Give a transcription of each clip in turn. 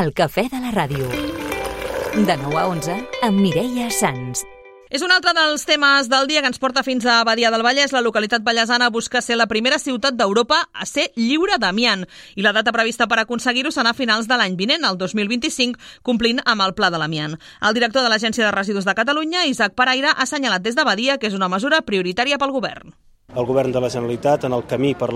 El cafè de la ràdio. De 9 a 11 amb Mireia Sans. És un altre dels temes del dia que ens porta fins a Badia del Vallès. La localitat vallesana busca ser la primera ciutat d'Europa a ser lliure d'amiant. I la data prevista per aconseguir-ho serà a finals de l'any vinent, el 2025, complint amb el Pla de l'Amiant. El director de l'Agència de Residus de Catalunya, Isaac Paraire, ha assenyalat des de Badia que és una mesura prioritària pel govern. El govern de la Generalitat, en el camí per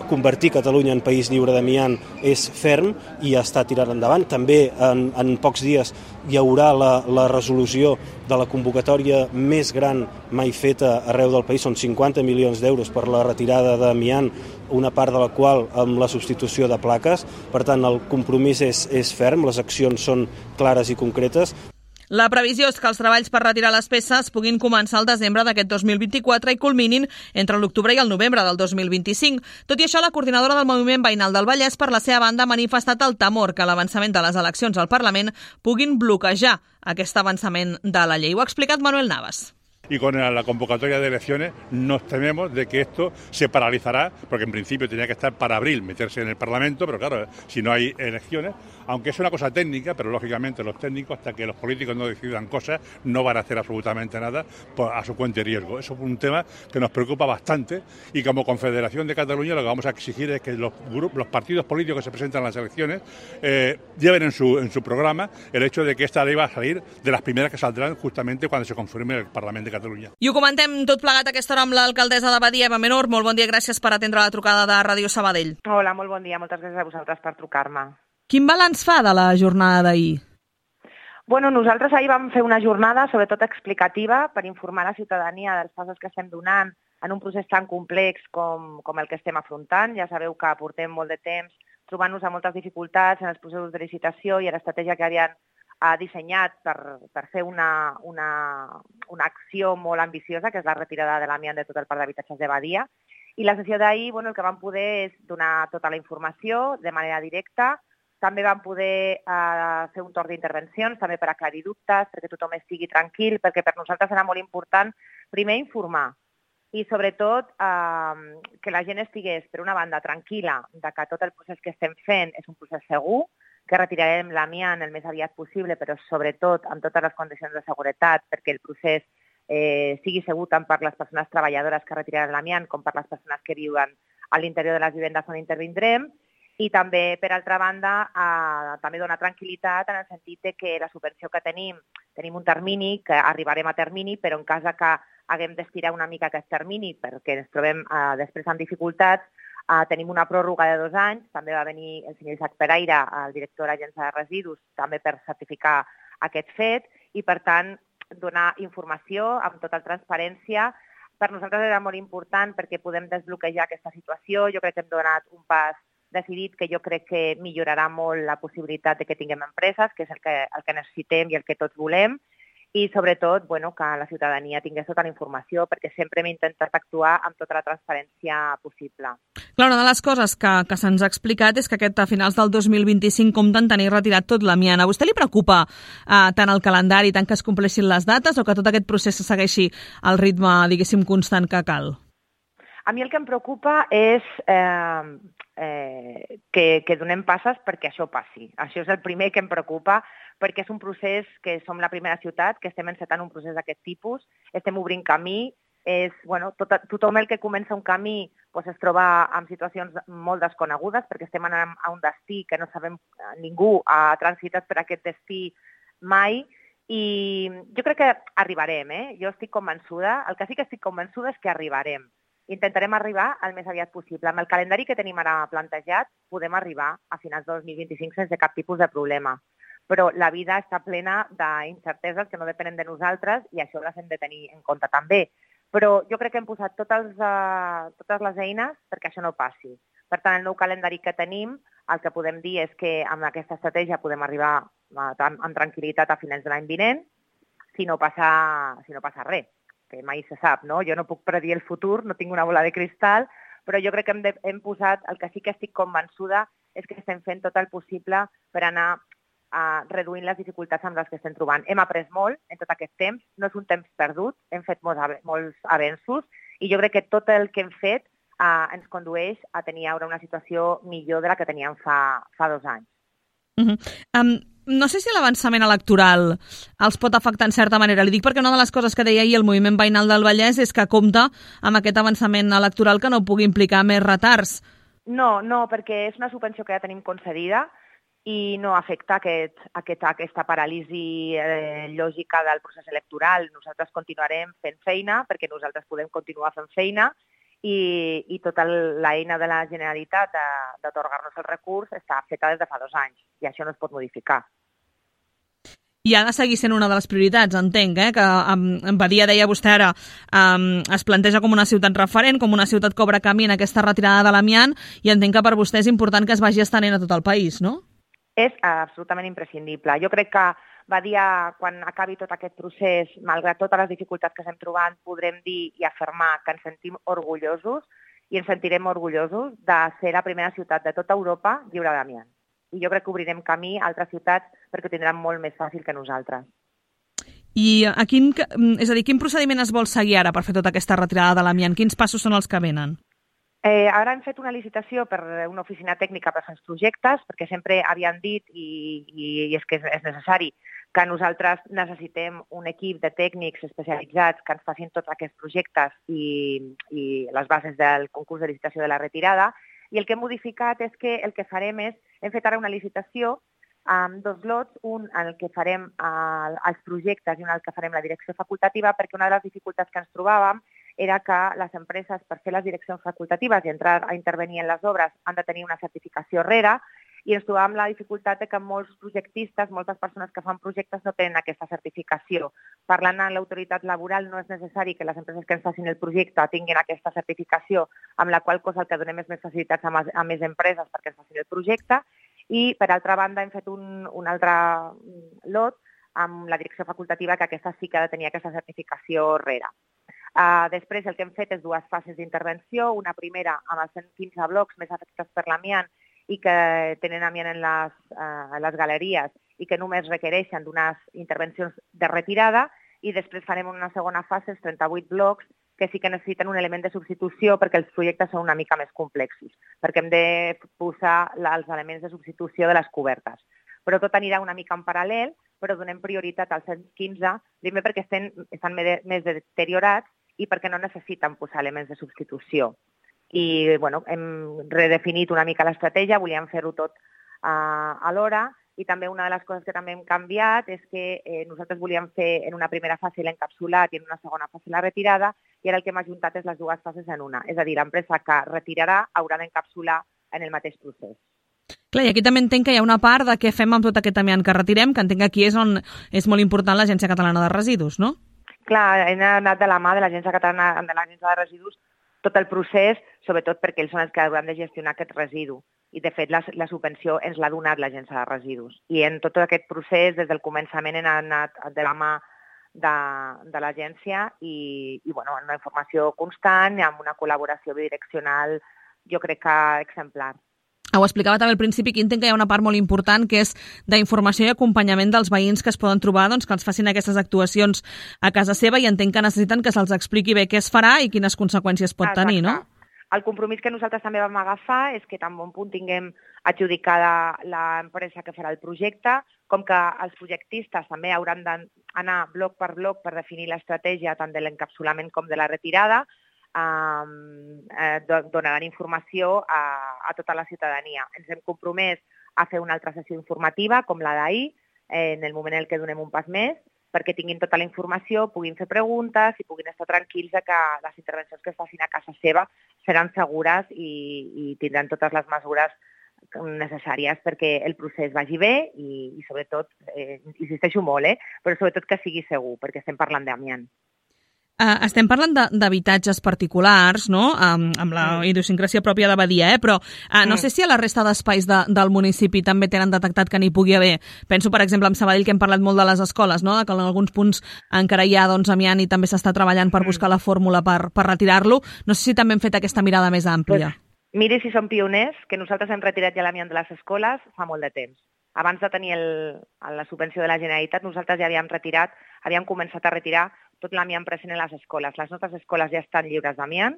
convertir Catalunya en país lliure d'amiant, és ferm i està tirant endavant. També en pocs dies hi haurà la resolució de la convocatòria més gran mai feta arreu del país. Són 50 milions d'euros per la retirada d'amiant, una part de la qual amb la substitució de plaques. Per tant, el compromís és ferm, les accions són clares i concretes. La previsió és que els treballs per retirar les peces puguin començar al desembre d'aquest 2024 i culminin entre l'octubre i el novembre del 2025. Tot i això, la coordinadora del Moviment Veïnal del Vallès, per la seva banda, ha manifestat el temor que l'avançament de les eleccions al Parlament puguin bloquejar aquest avançament de la llei. Ho ha explicat Manuel Navas. Y con la convocatoria de elecciones nos tememos de que esto se paralizará, porque en principio tenía que estar para abril, meterse en el Parlamento, pero claro, si no hay elecciones, aunque es una cosa técnica, pero lógicamente los técnicos, hasta que los políticos no decidan cosas, no van a hacer absolutamente nada a su cuenta y riesgo. Eso es un tema que nos preocupa bastante y como Confederación de Cataluña lo que vamos a exigir es que los partidos políticos que se presentan en las elecciones lleven en su programa el hecho de que esta ley va a salir de las primeras que saldrán justamente cuando se confirme el Parlamento de Catalunya. I ho comentem tot plegat a aquesta hora amb l'alcaldessa de Badia, Eva Menor. Molt bon dia, gràcies per atendre la trucada de Ràdio Sabadell. Hola, molt bon dia, moltes gràcies a vosaltres per trucar-me. Quin balanç fa de la jornada d'ahir? Bueno, nosaltres ahir vam fer una jornada sobretot explicativa per informar la ciutadania dels passos que estem donant en un procés tan complex com el que estem afrontant. Ja sabeu que portem molt de temps trobant-nos amb moltes dificultats en els processos de licitació i en l'estratègia que havien dissenyat per fer una acció molt ambiciosa, que és la retirada de l'amiant de tot el parc d'habitatges de Badia. I la sessió d'ahir, el que vam poder és donar tota la informació de manera directa. També vam poder fer un torn d'intervencions, també per aclarir dubtes, perquè tothom estigui tranquil, perquè per nosaltres era molt important, primer, informar i, sobretot, que la gent estigués, per una banda, tranquil·la de que tot el procés que estem fent és un procés segur, que retirarem l'amiant el més aviat possible, però sobretot amb totes les condicions de seguretat, perquè el procés sigui segur tant per les persones treballadores que retiraran l'amiant com per les persones que viuen a l'interior de les vivendes on intervindrem. I també, per altra banda, també donar tranquil·litat en el sentit que la subvenció que tenim un termini, que arribarem a termini, però en cas que haguem d'estirar una mica aquest termini perquè ens trobem després amb dificultats, tenim una pròrroga de 2 anys, també va venir el senyor Isaac Paraire, el director de l'Agència de Residus, també per certificar aquest fet i, per tant, donar informació amb tota transparència. Per nosaltres era molt important perquè podem desbloquejar aquesta situació. Jo crec que hem donat un pas decidit que jo crec que millorarà molt la possibilitat de que tinguem empreses, que és el que necessitem i el que tots volem. I, sobretot, que la ciutadania tingués tota la informació, perquè sempre hem intentat actuar amb tota la transparència possible. Clar, una de les coses que se'ns ha explicat és que a finals del 2025 compten tenir retirat tot l'amiant. A vostè li preocupa tant el calendari, tant que es compleixin les dates, o que tot aquest procés segueixi al ritme, diguéssim, constant que cal? A mi el que em preocupa és que donem passes perquè això passi. Això és el primer que em preocupa, perquè és un procés que som la primera ciutat, que estem encetant un procés d'aquest tipus, estem obrint camí, tothom el que comença un camí es troba en situacions molt desconegudes, perquè estem anant a un destí que no sabem, ningú ha transitat per aquest destí mai, i jo crec que arribarem, Jo estic convençuda, el que sí que estic convençuda és que arribarem. Intentarem arribar el més aviat possible. Amb el calendari que tenim ara plantejat, podem arribar a finals de 2025 sense cap tipus de problema. Però la vida està plena d'incerteses que no depenen de nosaltres i això les hem de tenir en compte també. Però jo crec que hem posat totes les eines perquè això no passi. Per tant, el nou calendari que tenim, el que podem dir és que amb aquesta estratègia podem arribar amb tranquil·litat a finals de l'any vinent, si no passa res, que mai se sap, no? Jo no puc predir el futur, no tinc una bola de cristal, però jo crec que hem posat, el que sí que estic convençuda és que estem fent tot el possible per anar reduint les dificultats amb les que estem trobant. Hem après molt en tot aquest temps, no és un temps perdut, hem fet molts avenços i jo crec que tot el que hem fet ens condueix a tenir ara una situació millor de la que teníem fa 2 anys. No sé si l'avançament electoral els pot afectar en certa manera. Li dic perquè una de les coses que deia ahir el Moviment Veïnal del Vallès és que compta amb aquest avançament electoral que no pugui implicar més retards. No, perquè és una subvenció que ja tenim concedida i no afecta aquesta paràlisi lògica del procés electoral. Nosaltres continuarem fent feina perquè nosaltres podem continuar fent feina i tota l'eina de la Generalitat d'atorgar-nos el recurs està feta des de fa 2 anys i això no es pot modificar. I ha de seguir sent una de les prioritats, entenc, que Badia, deia vostè ara, es planteja com una ciutat referent, com una ciutat que obre camí en aquesta retirada de l'amiant, i entenc que per vostè és important que es vagi estenent a tot el país, no? És absolutament imprescindible. Jo crec que Badia, quan acabi tot aquest procés, malgrat totes les dificultats que estem trobant, podrem dir i afirmar que ens sentim orgullosos i ens sentirem orgullosos de ser la primera ciutat de tota Europa lliure d'amiant. I jo crec que obrirem camí a altres ciutats perquè ho tindran molt més fàcil que nosaltres. I quin procediment es vol seguir ara per fer tota aquesta retirada de l'amiant? Quins passos són els que venen? Ara hem fet una licitació per una oficina tècnica per fer els projectes, perquè sempre havien dit, i és que és necessari, que nosaltres necessitem un equip de tècnics especialitzats que ens facin tots aquests projectes i les bases del concurs de licitació de la retirada. I el que hem modificat és que el que farem hem fet ara una licitació amb 2 lots, un en el que farem els projectes i un en el que farem la direcció facultativa, perquè una de les dificultats que ens trobàvem era que les empreses, per fer les direccions facultatives i entrar a intervenir en les obres, han de tenir una certificació rere, i ens trobàvem la dificultat que molts projectistes, moltes persones que fan projectes no tenen aquesta certificació. Parlant amb l'autoritat laboral, no és necessari que les empreses que ens facin el projecte tinguin aquesta certificació, amb la qual cosa el que donem és més facilitats a més empreses perquè ens facin el projecte. I, per altra banda, hem fet un altre lot amb la direcció facultativa, que aquesta sí que ha de tenir aquesta certificació rere. Després el que hem fet és 2 fases d'intervenció, una primera amb els 115 blocs més afectats per l'amiant i que tenen amiant en les galeries i que només requereixen d'unes intervencions de retirada, i després farem una segona fase, els 38 blocs, que sí que necessiten un element de substitució perquè els projectes són una mica més complexos, perquè hem de posar els elements de substitució de les cobertes. Però tot anirà una mica en paral·lel, però donem prioritat als 115, primer perquè estan més deteriorats i perquè no necessiten posar elements de substitució. I hem redefinit una mica l'estratègia, volíem fer-ho tot alhora, i també una de les coses que també hem canviat és que nosaltres volíem fer en una primera fase l'encapsulat i en una segona fase la retirada, i ara el que hem ajuntat és les 2 fases en una. És a dir, l'empresa que retirarà haurà d'encapsular en el mateix procés. Clar, i aquí també entenc que hi ha una part de què fem amb tot aquest amiant que retirem, que entenc que aquí és on és molt important l'Agència Catalana de Residus, no? Clar, hem anat de la mà de l'Agència Catalana de Residus tot el procés, sobretot perquè ells són els que hauran de gestionar aquest residu. I, de fet, la subvenció ens l'ha donat l'Agència de Residus. I en tot aquest procés, des del començament, hem anat de la mà de l'agència i en una informació constant, amb una col·laboració bidireccional, jo crec que exemplar. Ho explicava també al principi, que entenc que hi ha una part molt important que és d'informació i acompanyament dels veïns que es poden trobar, que els facin aquestes actuacions a casa seva, i entenc que necessiten que se'ls expliqui bé què es farà i quines conseqüències pot tenir, no? El compromís que nosaltres també vam agafar és que tan bon punt tinguem adjudicada l'empresa que farà el projecte, com que els projectistes també hauran d'anar bloc per bloc per definir l'estratègia tant de l'encapsulament com de la retirada, donaran informació a tota la ciutadania. Ens hem compromès a fer una altra sessió informativa, com la d'ahir, en el moment en què donem un pas més, perquè tinguin tota la informació, puguin fer preguntes i puguin estar tranquils que les intervencions que es facin a casa seva seran segures i tindran totes les mesures necessàries perquè el procés vagi bé i sobretot, insisteixo molt, però sobretot que sigui segur, perquè estem parlant d'amiant. Estem parlant d'habitatges particulars, no?, amb la idiosincràsia pròpia de Badia, però no sé si a la resta d'espais del municipi també tenen detectat que n'hi pugui haver. Penso, per exemple, en Sabadell, que hem parlat molt de les escoles, no?, que en alguns punts encara hi ha amiant i també s'està treballant per buscar la fórmula per retirar-lo. No sé si també hem fet aquesta mirada més àmplia. Miri si som pioners, que nosaltres hem retirat ja l'amiant de les escoles fa molt de temps. Abans de tenir la subvenció de la Generalitat, nosaltres ja havíem començat a retirar tot l'amiant present en les escoles. Les nostres escoles ja estan lliures d'amiant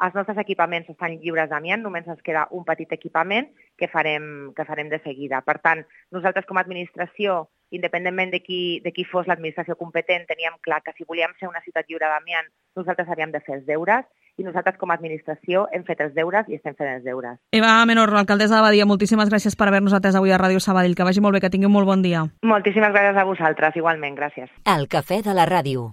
Els nostres equipaments estan lliures d'amiant, només ens queda un petit equipament que farem de seguida. Per tant, nosaltres com a administració, independentment de qui fos l'administració competent, teníem clar que si volíem ser una ciutat lliure d'amiant, nosaltres havíem de fer els deures, i nosaltres com a administració hem fet els deures i estem fent els deures. Eva Menor, alcaldessa de Badia, moltíssimes gràcies per haver-nos atès avui a Ràdio Sabadell. Que vagi molt bé, que tingui un molt bon dia. Moltíssimes gràcies a vosaltres, igualment, gràcies. El cafè de la ràdio.